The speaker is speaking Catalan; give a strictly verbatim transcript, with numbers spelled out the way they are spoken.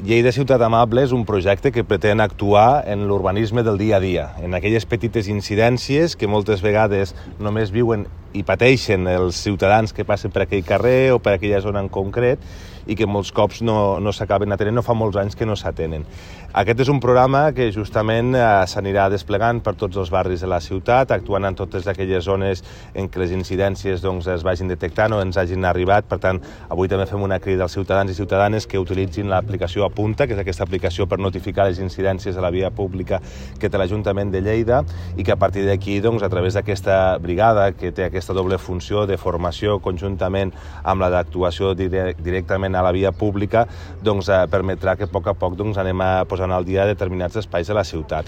Lleida Ciutat Amable és un projecte que pretén actuar en l'urbanisme del dia a dia, en aquelles petites incidències que moltes vegades només viuen i pateixen els ciutadans que passen per aquell carrer o per aquella zona en concret i que molts cops no, no s'acaben atenent, no fa molts anys que no s'atenen. Aquest és un programa que justament eh, s'anirà desplegant per tots els barris de la ciutat, actuant en totes aquelles zones en què les incidències doncs, es vagin detectant o ens hagin arribat. Per tant, avui també fem una crida als ciutadans i ciutadanes que utilitzin l'aplicació Apunta, que és aquesta aplicació per notificar les incidències a la via pública que té l'Ajuntament de Lleida i que a partir d'aquí, doncs, a través d'aquesta brigada que té aquesta doble funció de formació conjuntament amb la d'actuació directament a la via pública, doncs, eh, permetrà que a poc a poc doncs, anem a posar al dia determinats espais de la ciutat.